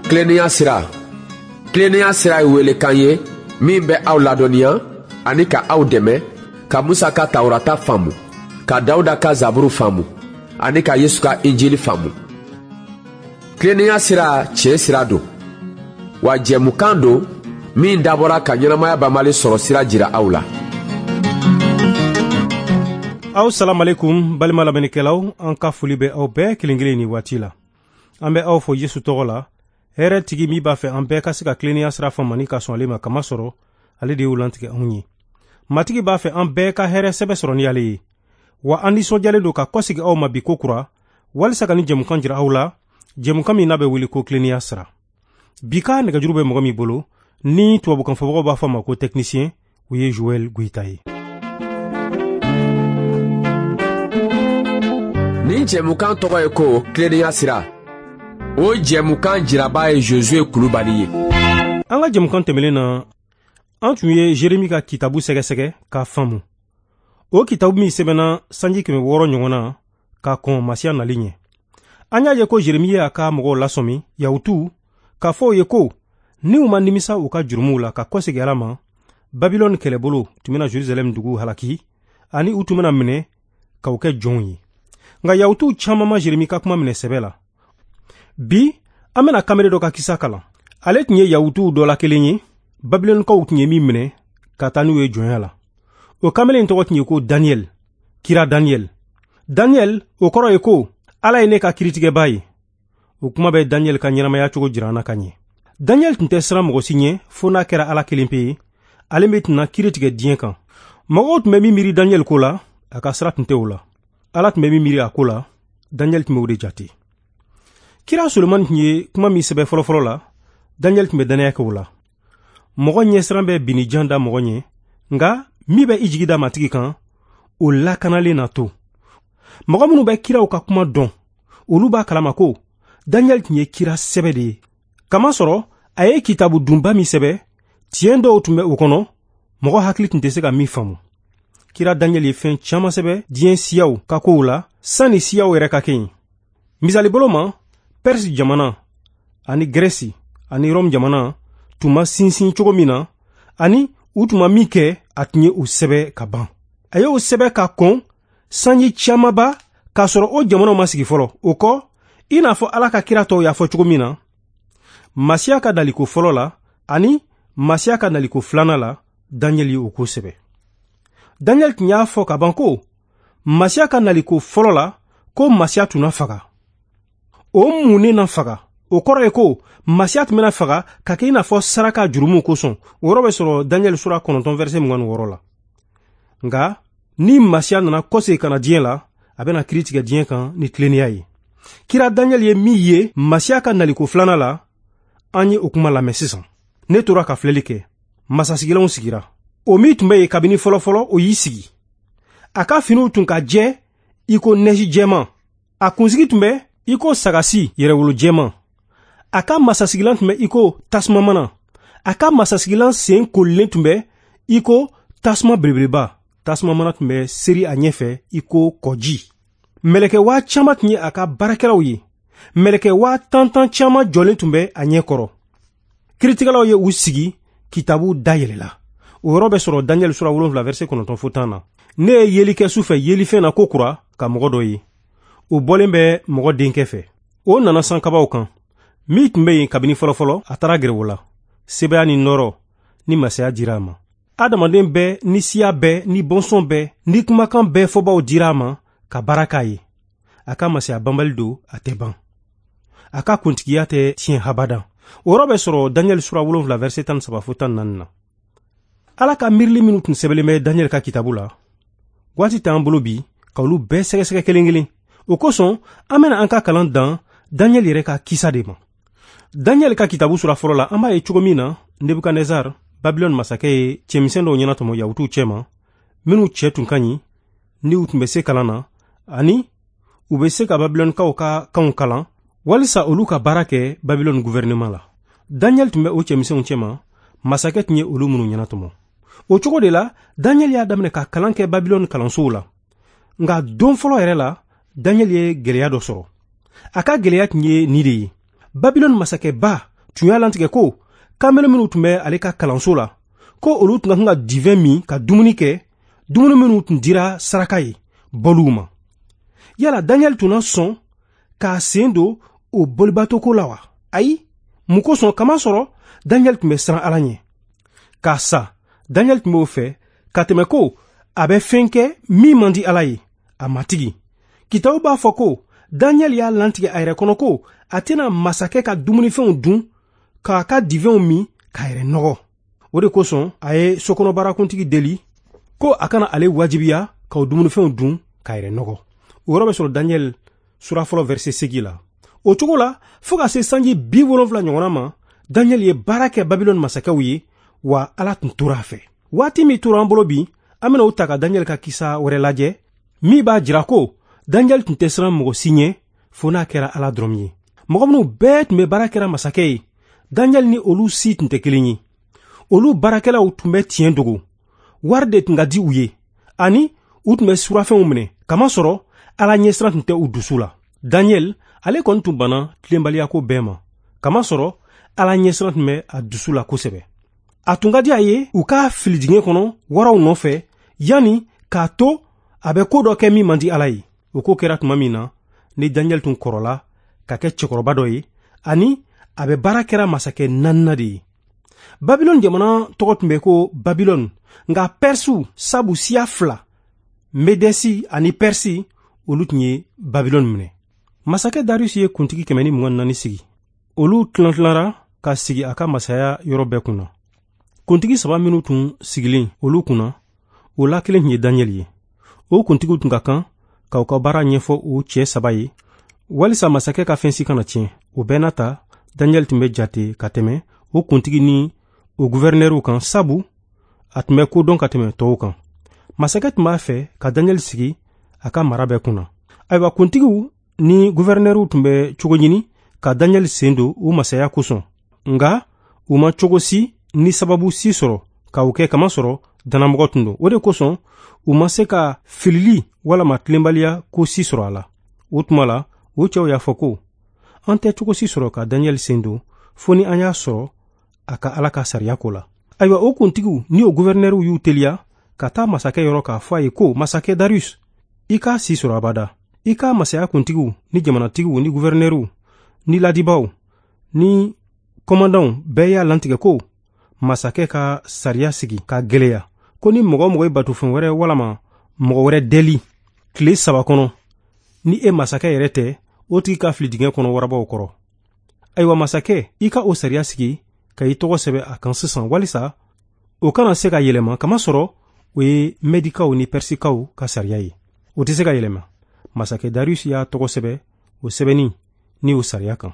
Tilennenya sira, tilennenya sira ye welekan ye min bɛ aw ladɔnniya ani ka aw dɛmɛ ka Musa ka Tawurata faamu, ka Dawuda ka Zaburu faamu ani ka Yesu ka Injili faamu. Tilennenya sira tiɲɛ sira don, wa jɛmukan don min dabɔra ka ɲɛnamaya banbali sɔrɔ sira jira aw la. Aw salamalekun balima lamɛnnikɛlaw, an ka foli bɛ aw bɛɛ kelen kelen ni waati la. An bɛ aw fo Yesu tɔgɔ la, hɛrɛ tigi min b'a fɛ an bɛɛ ka se ka tilennenya sira faamu ani ka sɔn ale ma, kamasɔrɔ ale de y'o lantigɛ anw ye. Matigi b'a fɛ an bɛɛ ka hɛrɛ sɛbɛ sɔrɔ ni ale ye. Wa an nisɔndiyalen don ka kɔsegi aw ma bi ko kura, walisa ka ni jɛmukan jira aw la, jɛmukan min n'a bɛ wele ko tilennenya sira. Bi ka nɛgɛjuru bɛ mɔgɔ min bolo, ni tubabukan fɔbagaw b'a fɔ a ma ko technicien, o ye Joël Goïta ye. Nin jɛmukan tɔgɔ ye ko tilennenya sira. O jɛmukan jiraba ye Josué Kulubali ye. An ka jɛmukan tɛmɛnen na, an tun ye Jeremi ka kitabu sɛgɛsɛgɛ k'a faamu. O kitabu min sɛbɛnna sanji 600 ɲɔgɔn na ka kɔn Masiya nali ɲɛ. An y'a ye ko Jeremi y'a ka mɔgɔw lasɔmi, Yahutuw, k'a fɔ u ye ko ni u ma nimisa u ka jurumuw la ka kɔsegin Ala ma, Babilɔni kɛlɛbolo tun bɛna Jerusalɛm dugu halaki ani u tun bɛna minɛ k'u kɛ jɔnw ye. Nka Yahutuw caman ma Jeremi ka kuma minɛ sɛbɛ la. Bi, an bɛna kamalen dɔ ka kisa kalan. Ale tun ye Yahutuw dɔ la kelen ye, Babilɔnikaw tun ye min minɛ ka taa n'u ye jɔnya la. O kamalen tɔgɔ tun ye ko Daniel, kira Daniel. Daniel, o kɔrɔ ye ko Ala ye ne ka kiritigɛba ye. O kuma bɛ Daniel ka ɲɛnamaya cogo jira an na ka ɲɛ. Daniel tun tɛ siran mɔgɔ si ɲɛ fo n'a kɛra Ala kelen pe ye, ale min tɛna kiri tigɛ diɲɛ kan. Mɔgɔw tun bɛ min miiri Daniel ko la, a ka sira tun tɛ o la. Ala tun bɛ min miiri a ko la, Daniel tun bɛ o de jate. Kira Solomani tun ye kuma min sɛbɛn fɔlɔfɔlɔ la, Daniel tun bɛ dannaya kɛ o la. Mɔgɔ ɲɛsiran bɛ binnijan da mɔgɔ ɲɛ, nka min bɛ i jigi da Matigi kan, o lakanalen na to. Mɔgɔ minnu bɛ kiraw ka kuma dɔn, olu b'a kalama ko Daniel tun ye kira sɛbɛ de ye. Kamasɔrɔ a ye kitabu dunba min sɛbɛ, tiɲɛ dɔw tun bɛ o kɔnɔ, mɔgɔ hakili tun tɛ se ka min faamu. Kira Daniel ye fɛn caman sɛbɛ diɲɛ siyaw ka kow la, sanni siyaw yɛrɛ ka kɛ yen. Misali bolo ma, Perse jamana ani Grɛsi ani Rɔmu jamana tun ma sinsin cogo min na, ani u tun ma min kɛ, a tun ye o sɛbɛ ka ban. A y'o sɛbɛ ka kɔn sanji camanba k'a sɔrɔ o jamanaw ma sigi fɔlɔ. O kɔ, i n'a fɔ Ala ka kira tɔw y'a fɔ cogo min na, Masiya ka naliko fɔlɔ la ani Masiya ka naliko filanan la, Daniel ye o ko sɛbɛ. Daniel tun y'a fɔ ka ban ko Masiya ka naliko fɔlɔ la, ko Masiya tun na faga. O mun ne na faga? O kɔrɔ ye ko Masiya tun bɛna faga ka kɛ i n'a fɔ saraka jurumuw kosɔn. O yɔrɔ bɛ sɔrɔ Daniel sura 9 verset 26 la. Nka ni Masiya nana kɔsegin ka na diɲɛ la, a bɛna kiri tigɛ diɲɛ kan ni tilennenya ye. Kira Daniel ye min ye Masiya ka naliko filanan la, an ye o kuma lamɛn sisan. Ne tora ka filɛli kɛ. Masasigilanw sigira. O min tun bɛ yen kabini fɔlɔfɔlɔ, o y'i sigi. A ka finiw tun ka jɛ i ko nɛji jɛman. A kunsigi tun bɛ i ko sagasi yɛrɛwolo jɛman. A ka masasigilan tun bɛ i ko tasuma mana. A ka masasigilan sen kolilen tun bɛ i ko tasuma belebeleba. Tasuma mana tun bɛ seri a ɲɛfɛ i ko kɔji. Mɛlɛkɛ 5000 tun ye a ka baarakɛlaw ye. Mɛlɛkɛ 10,000 caman jɔlen tun bɛ a ɲɛ kɔrɔ. Kiritigɛlaw ye u sigi, kitabu dayɛlɛla. O yɔrɔ bɛ sɔrɔ Daniel sura 7 verset 9 fo 10 na. Ne ye yeli kɛ su fɛ yelifɛn na ko kura ka mɔgɔ dɔ ye. O bɔlen bɛ mɔgɔ denkɛ fɛ. O nana sankabaw kan. Min tun bɛ yen kabini fɔlɔfɔlɔ, a taara gɛrɛ o la. Sebaya ni nɔɔrɔ ni masaya dira a ma. Adamaden bɛɛ ni siya bɛɛ ni bɔnsɔn bɛɛ ni kumakan bɛɛ fɔbaw dira a ma ka baara k'a ye. A ka masaya banbali don, a tɛ ban. A ka kuntigiya tɛ tiɲɛ habada. O yɔrɔ bɛ sɔrɔ Daniel sura 7 verset 13 fo 14 na. Ala ka miirili minnu tun sɛbɛnlen bɛ Daniel ka kitabu la, waati t'an bolo bi ka olu bɛɛ sɛgɛsɛgɛ kelen kelen. O kosɔn, an bɛna an ka kalan dan Daniel yɛrɛ ka kisa de ma. Daniel ka kitabu sura fɔlɔ la, an b'a ye cogo min na Nebukadnezar, Babilɔni masakɛ ye cɛmisɛn dɔw ɲɛnatɔmɔ Yahutuw cɛma, minnu cɛ tun ka ɲi, ni u tun bɛ se kalan na, ani u bɛ se ka Babilɔnikaw ka kanw kalan, walisa olu ka baara kɛ Babilɔni gouvernement la. Daniel tun bɛ o cɛmisɛnw cɛma, masakɛ tun ye olu minnu ɲɛnatɔmɔ. O cogo de la, Daniel y'a daminɛ ka kalan kɛ Babilɔni kalansow la. Nka don fɔlɔ yɛrɛ la, Daniel ye gɛlɛya dɔ sɔrɔ. A ka gɛlɛya tun ye nin de ye. Babilɔni masakɛba tun y'a lantigɛ ko kamalen minnu tun bɛ ale ka kalanso la, ko olu tun ka kan ka divɛn min ka dumuni kɛ, dumuni minnu tun dira saraka ye bɔliw ma. Yala Daniel tun na sɔn k'a sen don o bolibatoko la wa? Ayi, mun kosɔn? Kamasɔrɔ Daniel tun bɛ siran Ala ɲɛ. K'a sa, Daniel tun b'o fɛ ka tɛmɛ ko a bɛ fɛn kɛ min man di Ala ye, a matigi. Kitabu b'a fɔ ko Daniel y'a lantigɛ a yɛrɛ kɔnɔ ko a tɛna masakɛ ka dumunifɛnw dun, k'a ka divɛnw min, k'a yɛrɛ nɔgɔ. O de kosɔn a ye sokɔnɔbaarakuntigi deli ko a kana ale wajibiya k'o dumunifɛnw dun k'a yɛrɛ nɔgɔ. O yɔrɔ bɛ sɔrɔ Daniel sura fɔlɔ verset 8 la. O cogo la, fo ka se sanji 70 ɲɔgɔnna ma, Daniel ye baara kɛ Babilɔni masakɛw ye, wa Ala tun tora a fɛ. Waati min tora an bolo bi, an bɛna o ta ka Daniel ka kisa wɛrɛ lajɛ, min b'a jira ko Daniel tun tɛ siran mɔgɔ si ɲɛ, fo n'a kɛra Ala dɔrɔn ye. Mɔgɔ minnu bɛɛ tun bɛ baara kɛra masakɛ ye, Daniel ni olu si tun tɛ kelen ye. Olu baarakɛlaw tun bɛ tiɲɛ dogo, wari de tun ka di u ye, ani u tun bɛ surafɛnw minɛ, kamasɔrɔ Ala ɲɛsiran tun tɛ u dusu la. Daniel, ale kɔni tun banna tilenbaliyako bɛɛ ma, kamasɔrɔ Ala ɲɛsiran tun bɛ a dusu la kosɛbɛ. A tun ka di a ye u k'a fili dingɛ kɔnɔ waraw nɔfɛ, yanni k'a to a bɛ ko dɔ kɛ min man di Ala ye. O ko kɛra tuma min na, ni Daniel tun kɔrɔla ka kɛ cɛkɔrɔba dɔ ye, ani a bɛ baara kɛra masakɛ naaninan de ye. Babilɔni jamana tɔgɔ tun bɛ ko Babilɔni, nka Pɛrisiw sabu siya fila, Medɛsi ani Pɛrisi, olu tun ye Babilɔni minɛ. Masakɛ Darius ye kuntigi 124 sigi. Olu tilantilara ka sigi a ka masaya yɔrɔ bɛɛ kunna. Kuntigi saba minnu tun sigilen olu kunna, o la kelen tun ye Daniel ye. O kuntigiw tun ka kan k'aw ka baara ɲɛfɔ o cɛ saba ye, walisa masakɛ ka fɛn si kana tiɲɛ. O bɛɛ n'a ta, Daniel tun bɛ jate ka tɛmɛ o kuntigi ni o guvɛrinɛriw kan, sabu a tun bɛ ko dɔn ka tɛmɛ tɔw kan. Masakɛ tun b'a fɛ ka Daniel sigi a ka mara bɛɛ kunna. Ayiwa, kuntigiw ni guvɛrinɛriw tun bɛ cogo ɲini ka Daniel sen don u masaya kosɔn, nka u ma cogo si ni sababu si sɔrɔ ka o kɛ, kamasɔrɔ dannamɔgɔ tun don. O de kosɔn u ma se ka filili walama tilenbaliya ko si sɔrɔ a la. O tuma la, o cɛw y'a fɔ ko an tɛ cogo si sɔrɔ ka Daniel sen don fo ni an y'a sɔrɔ a ka Ala ka sariya ko la. Ayiwa, o kuntigiw ni o guvɛrinɛriw y'u teliya ka taa masakɛ yɔrɔ k'a fɔ a ye ko masakɛ Darius, i k'a si sɔrɔ abada. I ka masaya kuntigiw ni jamanatigiw ni guvɛrinɛriw ni ladibaw ni kɔmandanw bɛɛ y'a lantigɛ ko masakɛ ka sariya sigi ka gwɛlɛya, ko ni mɔgɔ o mɔgɔ ye batofɛn wɛrɛ walama mɔgɔ wɛrɛ deli tile 3 kɔnɔ, ni e masakɛ yɛrɛ tɛ, o tigi ka fili dingɛ kɔnɔ warabaw kɔrɔ. Ayiwa masakɛ, i ka o sariya sigi ka i tɔgɔ sɛbɛ a kan sisan, walisa o kana se ka yɛlɛma, kamasɔrɔ o ye Mɛdikaw ni Pɛrisikaw ka sariya ye, o tɛ se ka yɛlɛma. Masakɛ Darius y'a tɔgɔ sɛbɛ o sɛbɛnni ni o sariya kan.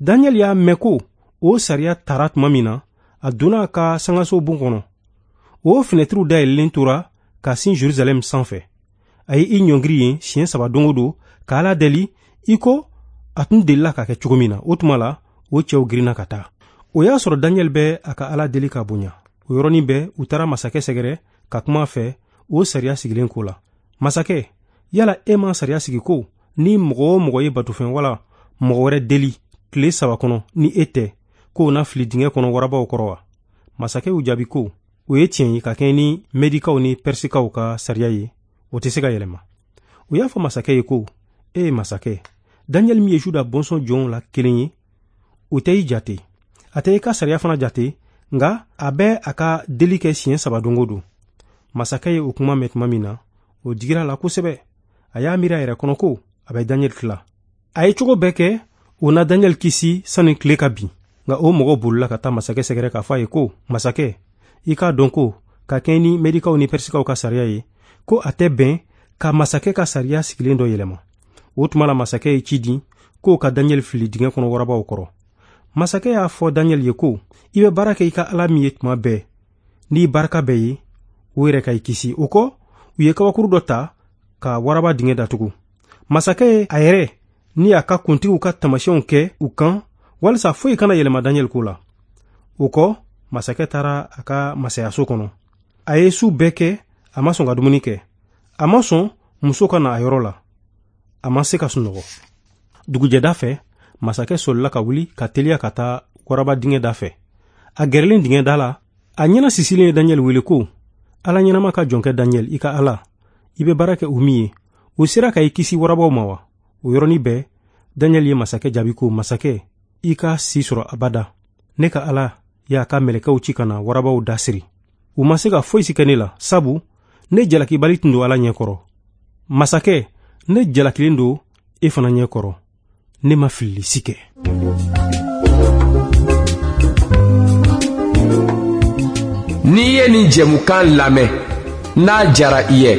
Daniel y'a mɛn ko o sariya tara tuma min na, a donna a ka sangaso bon kɔnɔ. O finɛtiriw dayɛlɛlen tora ka sin Jerusalɛm sanfɛ. A ye i ɲɔngiri yen siɲɛ 3 don o don ka Ala deli i ko a tun delila ka kɛ cogo min na. O tuma la, o cɛw girinna ka taa. O y'a sɔrɔ Daniel bɛ a ka Ala deli ka bonya. O yɔrɔnin bɛɛ, u taara masakɛ sɛgɛrɛ ka kuma a fɛ o sariya sigilen ko la. Masakɛ, yala e ma sariya sigi ko ni mɔgɔ o mɔgɔ ye batofɛn wala mɔgɔ wɛrɛ deli tile 3 kɔnɔ ni e tɛ, k'o na fili dingɛ kɔnɔ warabaw kɔrɔ wa? Masakɛ y'u jaabi ko o ye tiɲɛ ye ka kɛɲɛ ni Mɛdikaw ni Pɛrisikaw ka sariya ye, o tɛ se ka yɛlɛma. U y'a fɔ masakɛ ye ko e ye masakɛ, Daniel min ye Juda bɔnsɔn jɔnw la kelen ye, o tɛ i jate, a tɛ i ka sariya fana jate, nka a bɛ a ka deli kɛ siɲɛ 3 don o don. Masakɛ ye o kuma mɛn tuma min na, o digira a la kosɛbɛ. A y'a miiri a yɛrɛ kɔnɔ ko a bɛ Daniel tila. A ye cogo bɛɛ kɛ o na Daniel kisi sani tile ka bin. Nka o mɔgɔw bolila ka taa masakɛ sɛgɛrɛ k'a fɔ a ye ko masakɛ, i k'a dɔn ko ka kɛɲɛ ni Mɛdikaw ni Pɛrisikaw ka sariya ye, ko a tɛ bɛn ka masakɛ ka sariya sigilen dɔ yɛlɛma. O tuma la, masakɛ ye ci di k'o ka Daniel fili dingɛ kɔnɔ warabaw kɔrɔ. Masakɛ y'a fɔ Daniel ye ko i bɛ baara kɛ i ka Ala min ye tuma bɛɛ n'i barika bɛɛ ye, o yɛrɛ ka i kisi. O kɔ, u ye kabakuru dɔ ta ka waraba dingɛ datugu. Masakɛ ye a yɛrɛ ni a ka kuntigiw ka taamasiyɛnw kɛ u kan walisa foyi kana yɛlɛma Daniel ko la. O kɔ, masakɛ taara a ka masayaso kɔnɔ. A ye su bɛɛ kɛ, a ma sɔn ka dumuni kɛ, a ma sɔn muso ka na a yɔrɔ la, a ma se ka sunɔgɔ. Dugujɛda fɛ, masakɛ solila ka wuli ka teliya ka taa waraba dingɛ da fɛ. A gɛrɛlen dingɛ da la, a ɲɛna sisilen ye Daniyɛli wele ko: Ala ɲɛnama ka jɔnkɛ Daniyɛli, i ka Ala, i bɛ baara kɛ o min ye, o sera ka i kisi warabaw ma wa? O yɔrɔnin bɛɛ, Daniyɛli ye masakɛ jaabi ko: Masakɛ, i ka si sɔrɔ abada. Ne ka Ala y'a ka mɛlɛkɛw ci ka na warabaw da siri. U ma se ka foyi si kɛ ne la, sabu ne jalakibali tun don Ala ɲɛkɔrɔ. Masakɛ, ne jalakilen don e fana ɲɛkɔrɔ. Ne ma filili si kɛ. N'i ye nin jɛmukan lamɛn, n'a jara i ye,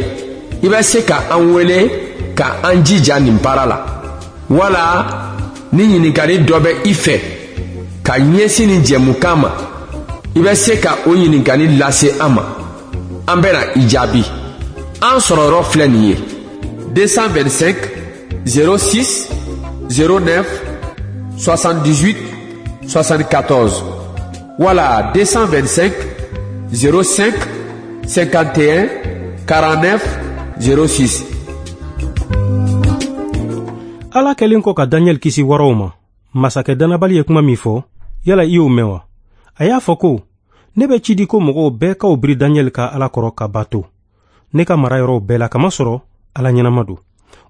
i bɛ se ka an wele ka an jija nin baara la, wala ni ɲininkali dɔ bɛ i fɛ ka ɲɛsin nin jɛmukan ma, i bɛ se ka o ɲininkali lase an ma, an bɛna i jaabi. An sɔrɔyɔrɔ filɛ nin ye: 225 06 09 78 74 wala 225 05 51 49 06. Ala kɛlen kɔ ka Daniyɛli kisi waraw ma, masakɛ dannabali ye kuma min fɔ, yala i y'o mɛn wa? A y'a fɔ ko: Ne bɛ ci di ko mɔgɔw bɛɛ k'aw biri Daniyɛli ka Ala kɔrɔ ka bato ne ka mara yɔrɔw bɛɛ la, kamasɔrɔ Ala ɲɛnama don.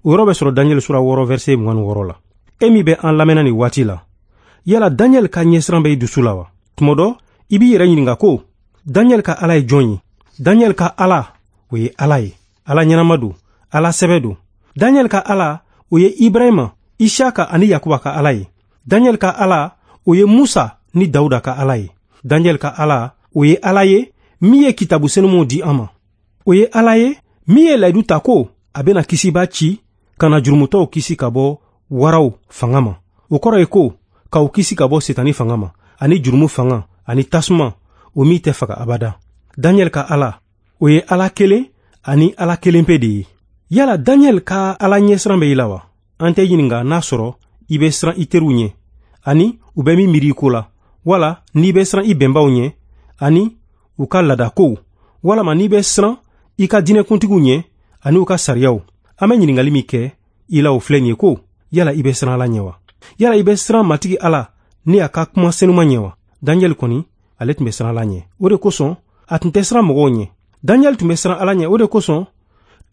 O yɔrɔ bɛ sɔrɔ Daniyɛli sura 6 verset 26 la. E min bɛ an lamɛnna nin waati la, yala Daniyɛli ka ɲɛsiran bɛ i dusu la wa? Tuma dɔ, i b'i yɛrɛ ɲininka ko: Daniyɛli ka Ala ye jɔn ye? Daniyɛli ka Ala, o ye Ala ye. Ala ɲɛnama don, Ala sɛbɛ don. Daniyɛli ka Ala, o ye Ibrahima, Isaka ani Yakuba ka Ala ye. Daniyɛli ka Ala, o ye Musa ni Dawuda ka Ala ye. Daniyɛli ka Ala, o ye Ala ye min ye kitabu senumanw di an ma. O ye Ala ye min ye layidu ta ko a bɛna kisiba ci ka na jurumutɔw kisi ka bɔ waraw fanga ma. O kɔrɔ ye ko k'aw kisi ka bɔ setani fanga ma, ani jurumu fanga, ani tasuma, o min tɛ faga abada. Daniyɛli ka Ala, o ye Ala kelen ani Ala kelen pe de ye. Yala Daniyɛli ka Ala ɲɛsiran bɛ i la wa? An tɛ ɲininka n'a sɔrɔ i bɛ siran i teriw ɲɛ, ani u bɛ min miiri i ko la, wala n'i bɛ siran i bɛnbaw ɲɛ, ani u ka laadakow, walama n'i bɛ siran i ka diinɛkuntigiw ɲɛ, ani u ka sariyaw. An bɛ ɲininkali min kɛ i la, o filɛ nin ye ko: yala i bɛ siran Ala ɲɛ wa? Yala i bɛ siran Matigi Ala ni a ka kuma senuman ɲɛ wa? Daniyɛli kɔni, ale tun bɛ siran Ala ɲɛ. O de kosɔn a tun tɛ siran mɔgɔw ɲɛ. Daniyɛli tun bɛ siran Ala ɲɛ, o de kosɔn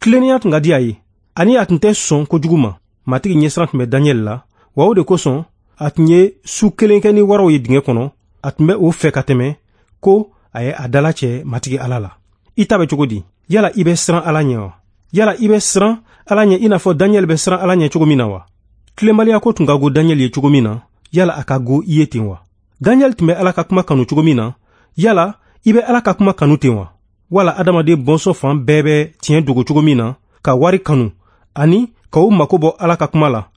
tilennenya tun ka di a ye, ani a tun tɛ sɔn kojugu ma. Matigi ɲɛsiran tun bɛ Daniyɛli la, wa o de kosɔn a tun ye su kelen kɛ ni waraw ye dingɛ kɔnɔ. A tun bɛ o fɛ ka tɛmɛ ko a ye a dala cɛ Matigi Ala la. I ta bɛ cogo di? Yala i bɛ siran Ala ɲɛ wa? Yala i bɛ siran Ala ɲɛ i n'a fɔ Daniyɛli bɛ siran Ala ɲɛ cogo min na wa? Tilenbaliya ko tun ka go Daniyɛli ye cogo min na, yala a ka go i ye ten wa? Daniyɛli tun bɛ Ala ka kuma kanu cogo min na, yala i bɛ Ala ka kuma kanu ten wa? Wala adamaden bɔnsɔn fan bɛɛ bɛ tiɲɛ dogo cogo min na, ka wari kanu ani ka u mako bɔ Ala ka kuma la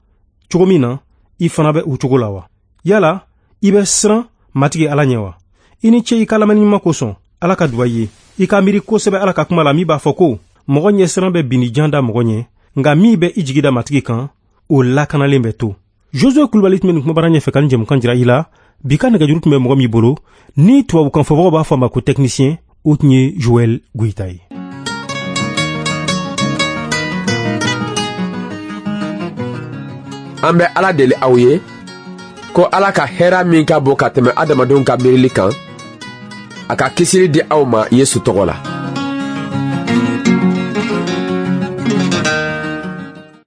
cogo min na, i fana bɛ o cogo la wa? Yala i bɛ siran Matigi Ala ɲɛ wa? I ni ce i ka lamɛnni ɲuman kosɔn. Ala ka duba i ye. I ka miiri kosɛbɛ Ala ka kuma la min b'a fɔ ko: mɔgɔ ɲɛsiran bɛ binni jan da mɔgɔ ɲɛ, nka min bɛ i jigi da Matigi kan, o lakanalen bɛ to. Josue Kulubali tun bɛ nin kumabara ɲɛfɛ ka nin jɛmukan jira i la. Bi ka nɛgɛjuru tun bɛ mɔgɔ min bolo, ni tubabukan fɔbagaw b'a fɔ a ma ko technicien, o tun ye Joël Goyita ye. An bɛ Ala deli aw ye ko Ala ka hɛra min ka bon ka tɛmɛ adamadenw ka miirili kan, a ka kisili di aw ma Yesu tɔgɔ la.